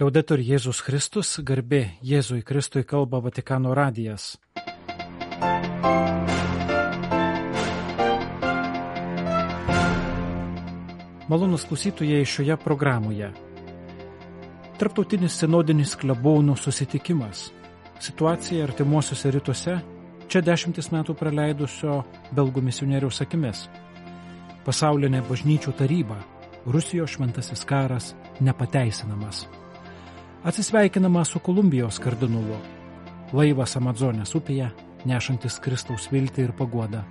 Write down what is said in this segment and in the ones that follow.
Liaudetur Jėzus Kristus, garbė Jėzui Kristui, kalba Vatikano radijas. Malonūs klausytojai šioje programoje. Tarptautinis sinodinis klebonų susitikimas. Situacija artimuosiuose rytuose, čia 10 metų praleidusio belgų misionieriaus akimis. Pasaulinė bažnyčių taryba, Rusijos šventasis karas nepateisinamas. Atsisveikinama su Kolumbijos kardinolu. Laivas Amazonės upėje, nešantis Kristaus viltį ir paguodą.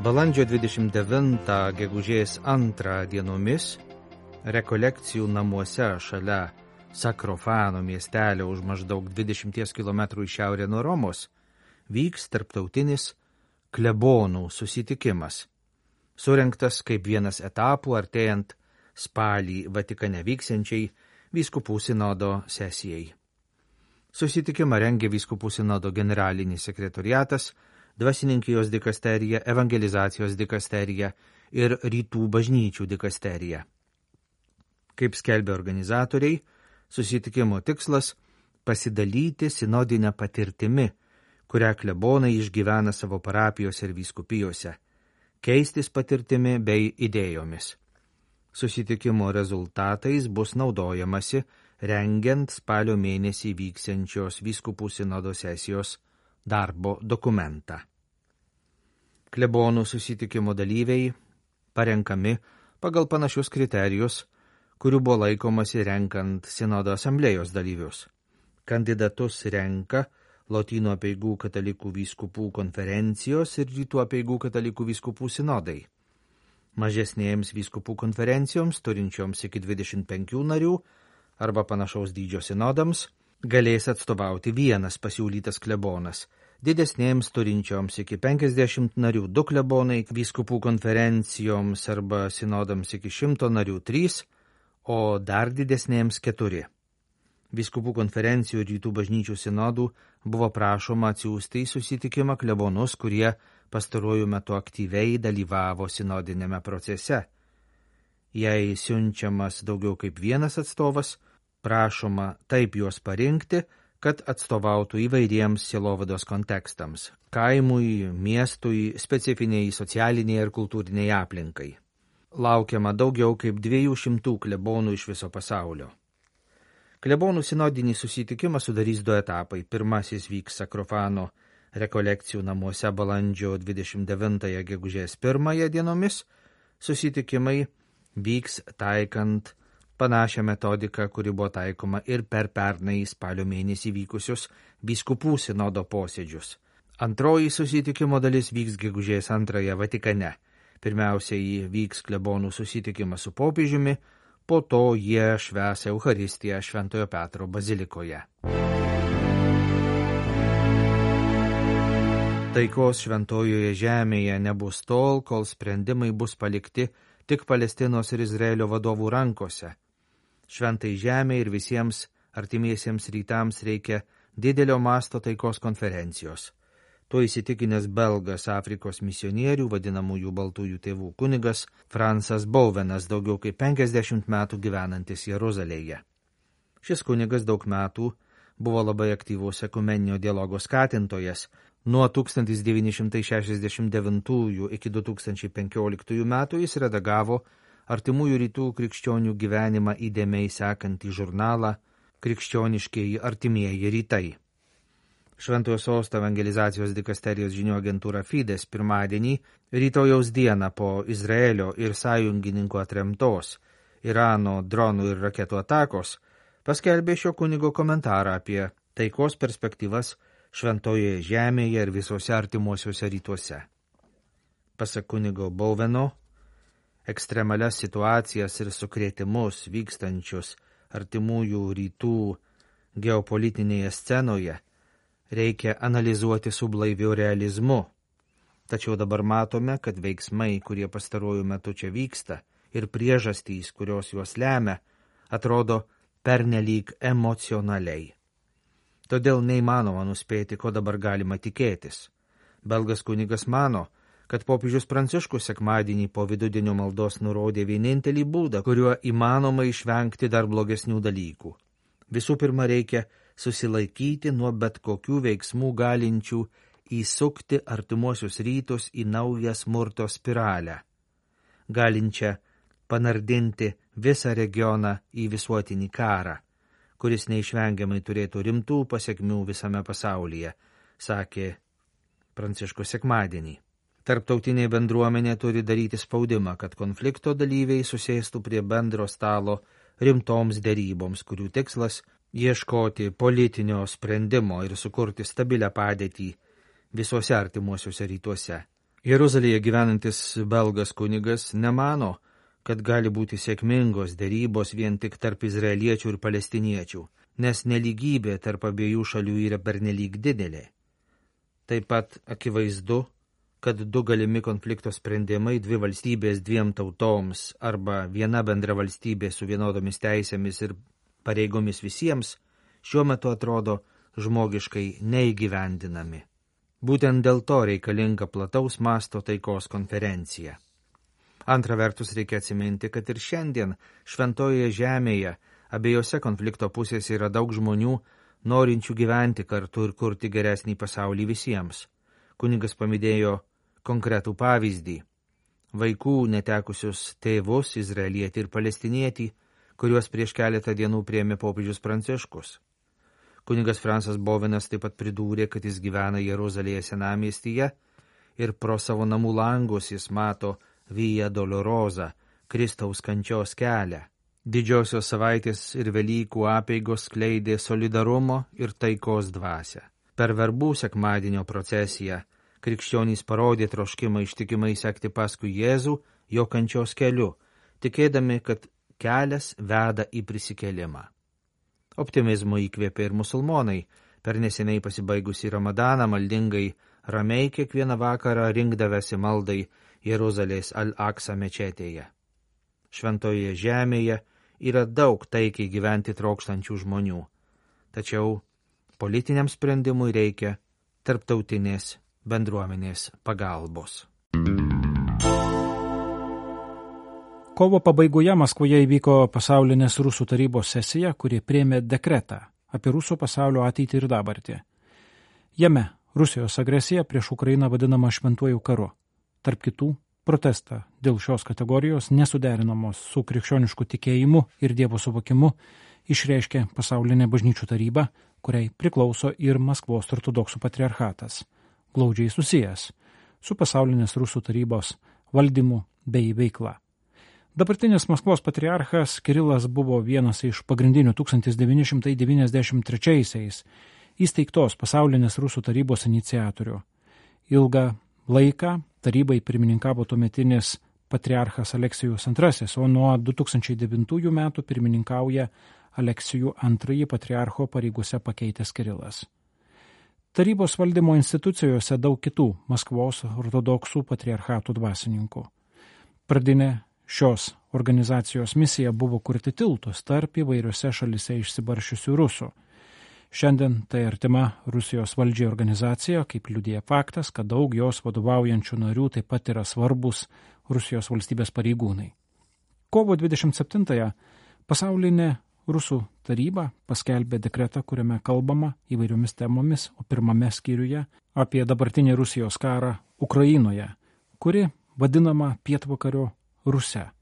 Balandžio 29 gegužės 2 dienomis rekolekcijų namuose šalia Sakrofano miestelio už maždaug 20 km į šiaurę nuo Romos vyks tarptautinis klebonų susitikimas, surengtas kaip vienas etapų artėjant spalį Vatikane vyksiančiai vyskupų sinodo sesijai. Susitikimą rengė vyskupų sinodo generalinis sekretoriatas, dvasininkijos dikasterija, evangelizacijos dikasterija ir rytų bažnyčių dikasterija. Kaip skelbė organizatoriai, susitikimo tikslas – pasidalyti sinodinę patirtimi, kurią klebonai išgyvena savo parapijose ir vyskupijose, keistis patirtimi bei idėjomis. Susitikimo rezultatais bus naudojamasi rengiant spalio mėnesį vyksiančios vyskupų sinodo sesijos darbo dokumentą. Klebonų susitikimo dalyviai parenkami pagal panašius kriterijus, kurių buvo laikomasi renkant sinodo asamblėjos dalyvius. Kandidatus renka Lotynų apeigų katalikų vyskupų konferencijos ir Rytų apeigų katalikų vyskupų sinodai. Mažesnėms vyskupų konferencijoms, turinčioms iki 25 narių arba panašaus dydžio sinodams, galės atstovauti vienas pasiūlytas klebonas. Didesnėms turinčioms iki 50 narių 2 klebonai, vyskupų konferencijoms arba sinodams iki 100 narių 3, o dar didesnėms 4. Vyskupų konferencijų ir rytų bažnyčių sinodų buvo prašoma atsiųsti į susitikimą klebonus, kurie pastaruoju metu aktyviai dalyvavo sinodinėme procese. Jei siunčiamas daugiau kaip vienas atstovas, prašoma taip juos parinkti, kad atstovautų įvairiems sielovados kontekstams – kaimui, miestui, specifiniai socialiniai ir kultūriniai aplinkai. Laukiama daugiau kaip 200 klebonų iš viso pasaulio. Klebonų sinodinį susitikimą sudarys 2 etapai. Pirmasis vyks Sakrofano rekolekcijų namuose balandžio 29 gegužės 1 dienomis. Susitikimai vyks taikant panašią metodiką, kuri buvo taikoma ir per pernai spalio mėnesį vykusius vyskupų sinodo posėdžius. Antroji susitikimo dalis vyks gegužės 2 Vatikane. Pirmiausiai vyks klebonų susitikimas su popiežiumi, po to jie švęs Eucharistiją Šventojo Petro bazilikoje. Taikos šventojoje žemėje nebus tol, kol sprendimai bus palikti tik Palestinos ir Izraelio vadovų rankose. Šventai žemė ir visiems artimiesiems rytams reikia didelio masto taikos konferencijos. Tuo įsitikinęs belgas Afrikos misionierių, vadinamųjų baltųjų tėvų kunigas Fransas Bouvenas, daugiau kaip 50 metų gyvenantis Jeruzalėje. Šis kunigas daug metų buvo labai aktyvus ekumeninio dialogo skatintojas. Nuo 1969 iki 2015 metų jis redagavo artimųjų rytų krikščionių gyvenimą įdėmiai sekantį žurnalą Krikščioniškieji artimieji rytai. Šventojo sosto evangelizacijos dikasterijos žinių agentūra Fides pirmadienį, rytojaus dieną po Izraelio ir sąjungininkų atremtos Irano dronų ir raketų atakos, paskelbė šio kunigo komentarą apie taikos perspektyvas šventojoje žemėje ir visose artimuosiuose rytuose. Pasak kunigo Bouveno, ekstremalias situacijas ir sukrėtimus vykstančius artimųjų rytų geopolitinėje scenoje reikia analizuoti su blaiviu realizmu. Tačiau dabar matome, kad veiksmai, kurie pastaruoju metu čia vyksta, ir priežastys, kurios juos lemia, atrodo pernelyg emocionaliai. Todėl neįmanoma nuspėti, ko dabar galima tikėtis. Belgas kunigas mano, kad popiežius Pranciškus sekmadienį po vidudienio maldos nurodė vienintelį būdą, kuriuo įmanoma išvengti dar blogesnių dalykų. Visų pirma, reikia susilaikyti nuo bet kokių veiksmų galinčių įsukti artimuosius rytus į naują smurto spiralę, galinčią panardinti visą regioną į visuotinį karą, kuris neišvengiamai turėtų rimtų pasekmių visame pasaulyje, sakė Pranciškus sekmadienį. Tarptautinė bendruomenė turi daryti spaudimą, kad konflikto dalyviai susėstų prie bendro stalo rimtoms deryboms, kurių tikslas ieškoti politinio sprendimo ir sukurti stabilią padėtį visuose artimuosiuose rytuose. Jeruzalėje gyvenantis belgas kunigas nemano, kad gali būti sėkmingos derybos vien tik tarp izraeliečių ir palestiniečių, nes nelygybė tarp abiejų šalių yra pernelyg didelė. Taip pat akivaizdu, kad du galimi konflikto sprendimai, dvi valstybės dviem tautoms arba viena bendra valstybė su vienodomis teisėmis ir pareigomis visiems, šiuo metu atrodo žmogiškai neįgyvendinami. Būtent dėl to reikalinga plataus masto taikos konferencija. Antra vertus reikia atsiminti, kad ir šiandien šventojoje žemėje abiejose konflikto pusėse yra daug žmonių, norinčių gyventi kartu ir kurti geresnį pasaulį visiems. Kunigas paminėjo konkretų pavyzdį – vaikų netekusius tėvus, izraelietį ir palestinietį, kuriuos prieš keletą dienų priėmė popiežius Pranciškus. Kunigas Fransas Bovenas taip pat pridūrė, kad jis gyvena Jeruzalėje senamiestyje ir pro savo namų langus jis mato Via Dolorosa, Kristaus kančios kelią. Didžiosios savaitės ir Velykų apeigos skleidė solidarumo ir taikos dvasią. Per verbų sekmadienio procesiją krikščionys parodė troškimą ištikimai sekti paskui Jėzų jo kančios keliu, tikėdami, kad kelias veda į prisikėlimą. Optimizmo įkvėpė ir musulmonai. Per neseniai pasibaigusį Ramadaną maldingai ramiai kiekvieną vakarą rinkdavęsi maldai Jeruzalės Al-Aksa mečetėje. Šventoje žemėje yra daug taikiai gyventi trokštančių žmonių, tačiau politiniam sprendimui reikia tarptautinės bendruomenės pagalbos. Kovo pabaigoje Maskvoje įvyko pasaulinės Rusų tarybos sesija, kuri priėmė dekretą apie Rusų pasaulio ateitį ir dabartį. Jame Rusijos agresija prieš Ukrainą vadinama šventuoju karu. Tarp kitų, protestą dėl šios kategorijos nesuderinamos su krikščionišku tikėjimu ir Dievo suvokimu išreiškė pasaulinė bažnyčių taryba, kuriai priklauso ir Maskvos ortodoksų patriarchatas, glaudžiai susijęs su pasaulinės Rusų tarybos valdymu bei veikla. Dabartinis Maskvos patriarchas Kirilas buvo vienas iš pagrindinių 1993-aisiais įsteigtos pasaulinės Rusų tarybos iniciatorių. Ilgą laiką tarybai pirmininkavo tuometinis patriarchas Aleksijus II, o nuo 2009 metų pirmininkauja Aleksijų II patriarcho pareigose pakeitęs Kirilas. Tarybos valdymo institucijose daug kitų Maskvos ortodoksų patriarchatų dvasininkų. Pradinė šios organizacijos misija buvo kurti tiltus tarp įvairiose šalise išsibaršiusių rusų. Šiandien tai artima Rusijos valdžiai organizacija, kaip liudija faktas, kad daug jos vadovaujančių narių taip pat yra svarbus Rusijos valstybės pareigūnai. Kovo 27-ąją pasaulinė Rusų taryba paskelbė dekretą, kuriame kalbama įvairiomis temomis, o pirmame skyriuje apie dabartinį Rusijos karą Ukrainoje, kuri vadinama pietvakario Rusia.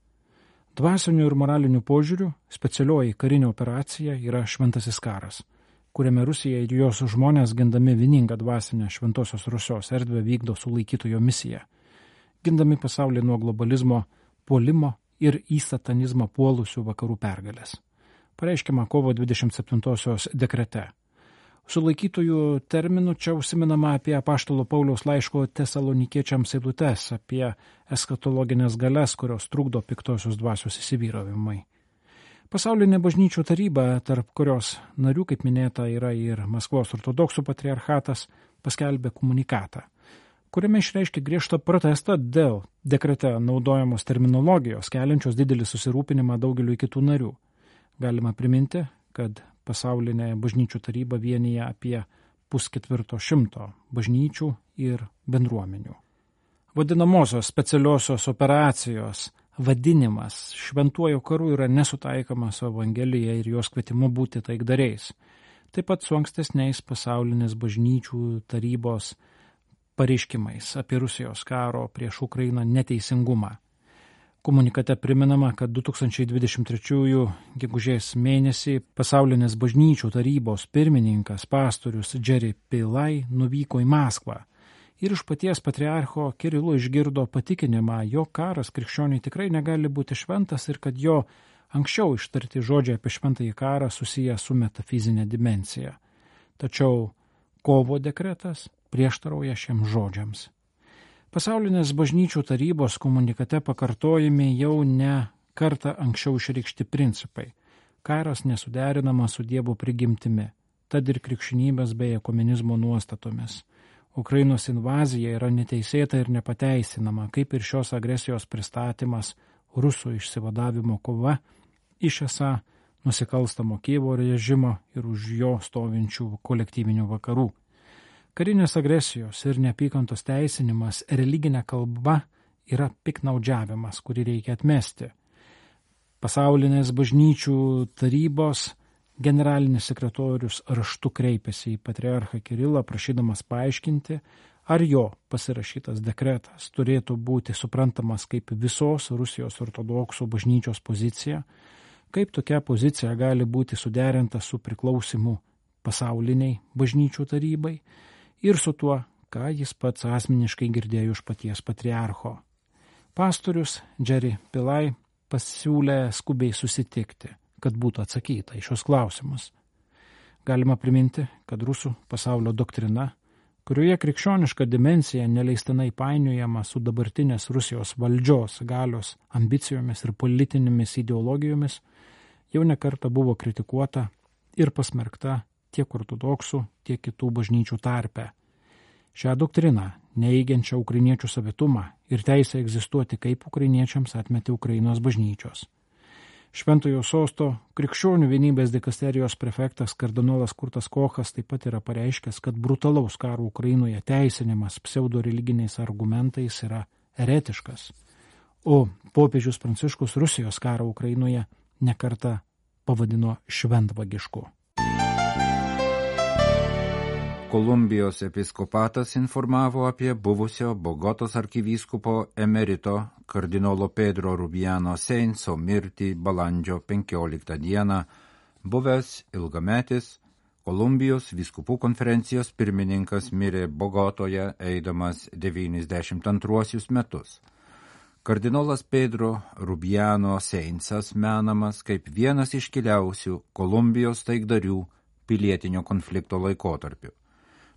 Dvasinių ir moralinių požiūrių specialioji karinė operacija yra šventasis karas, kuriame Rusija ir jos žmonės gindami vieningą dvasinę šventosios Rusijos erdvę vykdo sulaikytojo misiją, gindami pasaulį nuo globalizmo puolimo ir į satanizmą puolusių vakarų pergalės. Pareiškiama kovo 27-osios dekrete. Sulaikytojų terminų čia užsiminama apie apaštalo Pauliaus laiško tesalonikiečiams eilutes, apie eskatologinės galias, kurios trukdo piktosios dvasios įsivyravimai. Pasaulinė bažnyčių taryba, tarp kurios narių, kaip minėta, yra ir Maskvos ortodoksų patriarchatas, paskelbė komunikatą, kuriame išreiškė griežtą protestą dėl dekrete naudojamos terminologijos, keliančios didelį susirūpinimą daugeliu kitų narių. Galima priminti, kad pasaulinė bažnyčių taryba vienyje apie 150 bažnyčių ir bendruomenių. Vadinamosios specialiosios operacijos vadinimas šventuoju karu yra nesutaikomas su Evangelija ir jos kvietimu būti taikdariais. Taip pat su ankstesniais pasaulinės bažnyčių tarybos pareiškimais apie Rusijos karo prieš Ukrainą neteisingumą. Komunikate priminama, kad 2023 gegužės mėnesį pasaulinės bažnyčių tarybos pirmininkas pastorius Jerry Pillai nuvyko į Maskvą ir iš paties patriarcho Kirilo išgirdo patikinimą, jog karas krikščioniui tikrai negali būti šventas ir kad jo anksčiau ištarti žodžiai apie šventąjį karą susiję su metafizinė dimensija. Tačiau kovo dekretas prieštarauja šiems žodžiams. Pasaulinės bažnyčių tarybos komunikate pakartojami jau ne kartą anksčiau išreikšti principai. Karas nesuderinamas su Dievo prigimtimi, tad ir krikščionybės bei ekumenizmo nuostatomis. Ukrainos invazija yra neteisėta ir nepateisinama, kaip ir šios agresijos pristatymas rusų išsivadavimo kova iš esą nusikalstamo Kijevo režimo ir už jo stovinčių kolektyvinių vakarų. Karinės agresijos ir neapykantos teisinimas religinė kalba yra piknaudžiavimas, kurį reikia atmesti. Pasaulinės bažnyčių tarybos generalinis sekretorius raštu kreipėsi į patriarchą Kirilą, prašydamas paaiškinti, ar jo pasirašytas dekretas turėtų būti suprantamas kaip visos Rusijos ortodoksų bažnyčios pozicija, kaip tokia pozicija gali būti suderinta su priklausimu pasauliniai bažnyčių tarybai ir su tuo, ką jis pats asmeniškai girdėjo iš paties patriarcho. Pastorius Jerry Pillai pasiūlė skubiai susitikti, kad būtų atsakyta į šios klausimus. Galima priminti, kad rusų pasaulio doktrina, kurioje krikščioniška dimensija neleistinai painiojama su dabartinės Rusijos valdžios galios ambicijomis ir politinėmis ideologijomis, jau nekartą buvo kritikuota ir pasmerkta tiek ortodoksų, tiek kitų bažnyčių tarpe. Šią doktriną, neįgiančią ukrainiečių savitumą ir teisę egzistuoti kaip ukrainiečiams atmetė Ukrainos bažnyčios. Šventojo sosto krikščionių vienybės dikasterijos prefektas kardinolas Kurtas Kochas taip pat yra pareiškęs, kad brutalaus karo Ukrainoje teisinimas pseudoreliginiais argumentais yra eretiškas, o popiežius Pranciškus Rusijos karą Ukrainoje nekartą pavadino šventvagišku. Kolumbijos episkopatas informavo apie buvusio Bogotos arkivyskupo emerito kardinolo Pedro Rubiano Seinso mirtį balandžio 15 dieną, buvęs ilgametis Kolumbijos vyskupų konferencijos pirmininkas mirė Bogotoje eidamas 92 metus. Kardinolas Pedro Rubiano Seinsas menamas kaip vienas iškiliausių Kolumbijos taikdarių pilietinio konflikto laikotarpiu.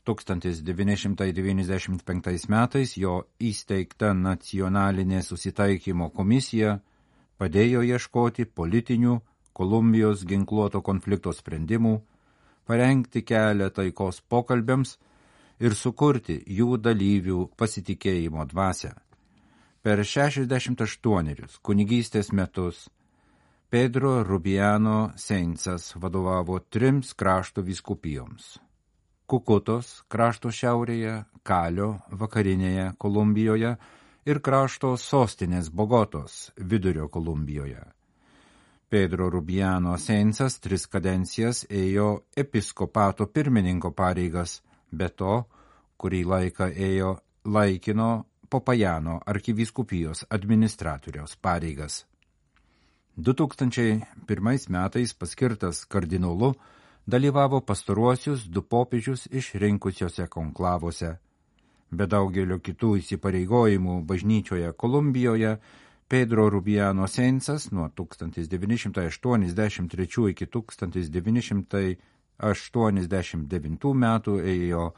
1995 metais jo įsteigta nacionalinė susitaikymo komisija padėjo ieškoti politinių Kolumbijos ginkluoto konflikto sprendimų, parengti kelią taikos pokalbiams ir sukurti jų dalyvių pasitikėjimo dvasią. Per 68 kunigystės metus Pedro Rubiano Seinsas vadovavo 3 krašto vyskupijoms. Kukutos krašto šiaurėje, Kalio vakarinėje Kolumbijoje ir krašto sostinės Bogotos vidurio Kolumbijoje. Pedro Rubiano Seinsas 3 kadencijas ėjo episkopato pirmininko pareigas, be to, kurį laiką ėjo laikino Popajano arkivyskupijos administratoriaus pareigas. 2001 metais paskirtas kardinolu dalyvavo pastaruosius 2 popiežius išrinkusiose konklavose. Be daugelio kitų įsipareigojimų bažnyčioje Kolumbijoje, Pedro Rubiano Seinsas nuo 1983 iki 1989 metų ėjo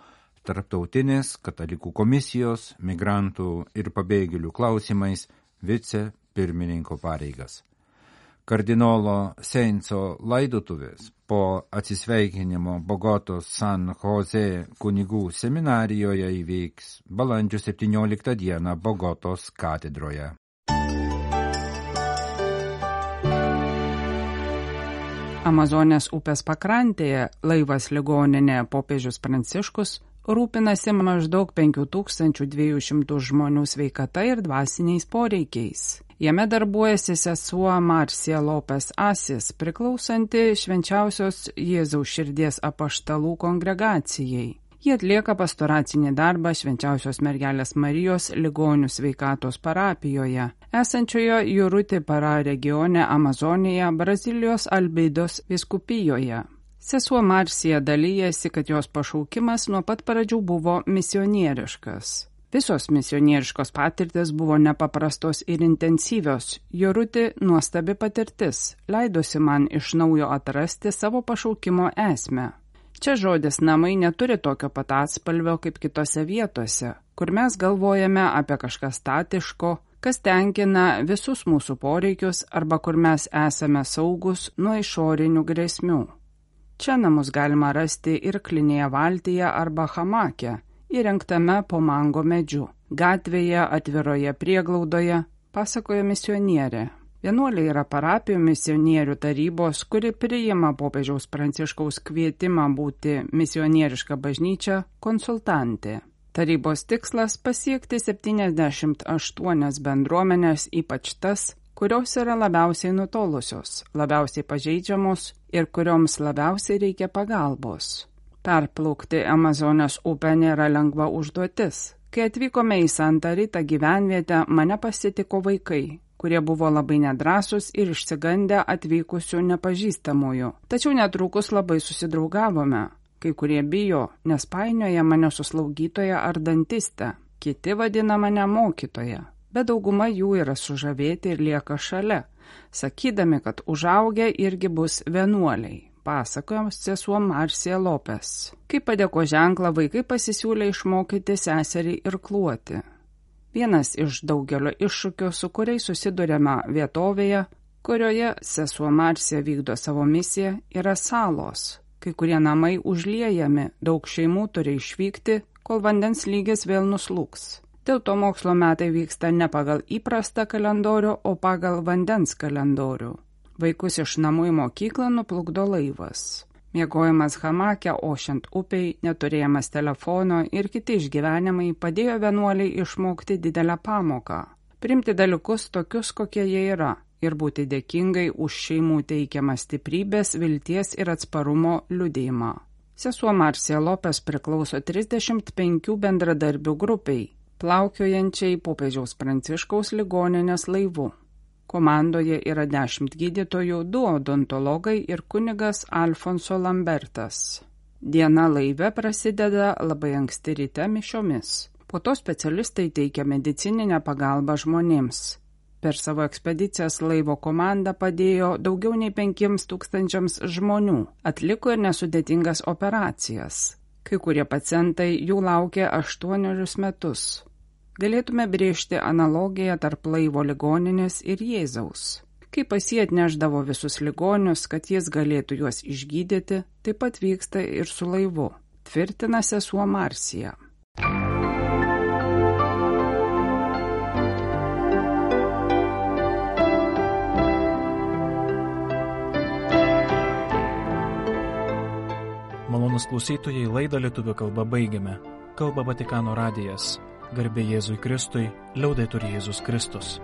Tarptautinės katalikų komisijos, migrantų ir pabėgėlių klausimais vicepirmininko pareigas. Kardinolo Seinso laidotuvės po atsisveikinimo Bogotos San Jose kunigų seminarijoje įvyks balandžio 17 dieną Bogotos katedroje. Amazonės upės pakrantėje laivas ligoninė popiežius Pranciškus rūpinasi maždaug 5200 žmonių sveikata ir dvasiniais poreikiais. Jame darbuojasi sesuo Marcia Lopes Asis, priklausanti Švenčiausios Jėzaus širdies apaštalų kongregacijai. Jie atlieka pastoracinį darbą Švenčiausios mergelės Marijos ligonių sveikatos parapijoje, esančioje Jurutė Para regione Amazonėje, Brazilijos Albeidos vyskupijoje. Sesuo Marcija dalyjasi, kad jos pašaukimas nuo pat pradžių buvo misionieriškas. Visos misionieriškos patirtis buvo nepaprastos ir intensyvios. Jurutė nuostabi patirtis, leidosi man iš naujo atrasti savo pašaukimo esmę. Čia žodis namai neturi tokio pat atspalvio kaip kitose vietose, kur mes galvojame apie kažką statiško, kas tenkina visus mūsų poreikius arba kur mes esame saugus nuo išorinių grėsmių. Čia namus galima rasti ir klinėje valtyje arba hamake, įrengtame po mango medžiu, gatvėje, atviroje prieglaudoje, pasakoja misionierė. Vienuoliai yra parapijų misionierių tarybos, kuri priima popiežiaus Pranciškaus kvietimą būti misionieriška bažnyčia konsultantė. Tarybos tikslas pasiekti 78 bendruomenės, ypač tas, kurios yra labiausiai nutolusios, labiausiai pažeidžiamos ir kurioms labiausiai reikia pagalbos. Perplaukti Amazonės upę nėra lengva užduotis. Kai atvykome į Santa Rita gyvenvietę, mane pasitiko vaikai, kurie buvo labai nedrąsūs ir išsigandę atvykusių nepažįstamųjų. Tačiau netrukus labai susidraugavome. Kai kurie bijo, nes painioja mane su slaugytoja ar dantiste. Kiti vadina mane mokytoja, bet dauguma jų yra sužavėti ir lieka šalia, sakydami, kad užaugę irgi bus vienuoliai. Pasakojo sesuo Marcia Lopes. Kaip padėko ženklą, vaikai pasisiūlė išmokyti seserį irkluoti. Vienas iš daugelio iššūkių, su kuriais susidurėme vietovėje, kurioje sesuo Marcia vykdo savo misiją, yra salos. Kai kurie namai užliejami, daug šeimų turi išvykti, kol vandens lygis vėl nuslūgs. Dėl to mokslo metai vyksta ne pagal įprastą kalendorių, o pagal vandens kalendorių. Vaikus iš namų į mokyklą nuplukdo laivas. Miegojimas hamake, ošiant upiai, neturėjimas telefono ir kiti išgyvenimai padėjo vienuoliai išmokti didelę pamoką. Priimti dalykus tokius, kokie jie yra, ir būti dėkingai už šeimų teikiamą stiprybės, vilties ir atsparumo liudijimą. Sesuo Marcia Lopes priklauso 35 bendradarbių grupiai, plaukiojančiai popiežiaus Pranciškaus ligoninės laivu. Komandoje yra 10 gydytojų, 2 odontologai ir kunigas Alfonso Lambertas. Diena laive prasideda labai anksti ryte mišiomis. Po to specialistai teikia medicininę pagalbą žmonėms. Per savo ekspedicijas laivo komanda padėjo daugiau nei 5000 žmonių, atliko ir nesudėtingas operacijas. Kai kurie pacientai jų laukė 8 metus. Galėtume brėžti analogiją tarp laivo ligoninės ir Jėzaus. Kai pas jį atnešdavo visus ligonius, kad jis galėtų juos išgydyti, taip pat vyksta ir su laivu, tvirtina sesuo Marcija. Malonūs klausytojai, laidą lietuvių kalba baigiame. Kalba Vatikano radijas. Garbė Jėzui Kristui, liaudetur Jėzus Kristus.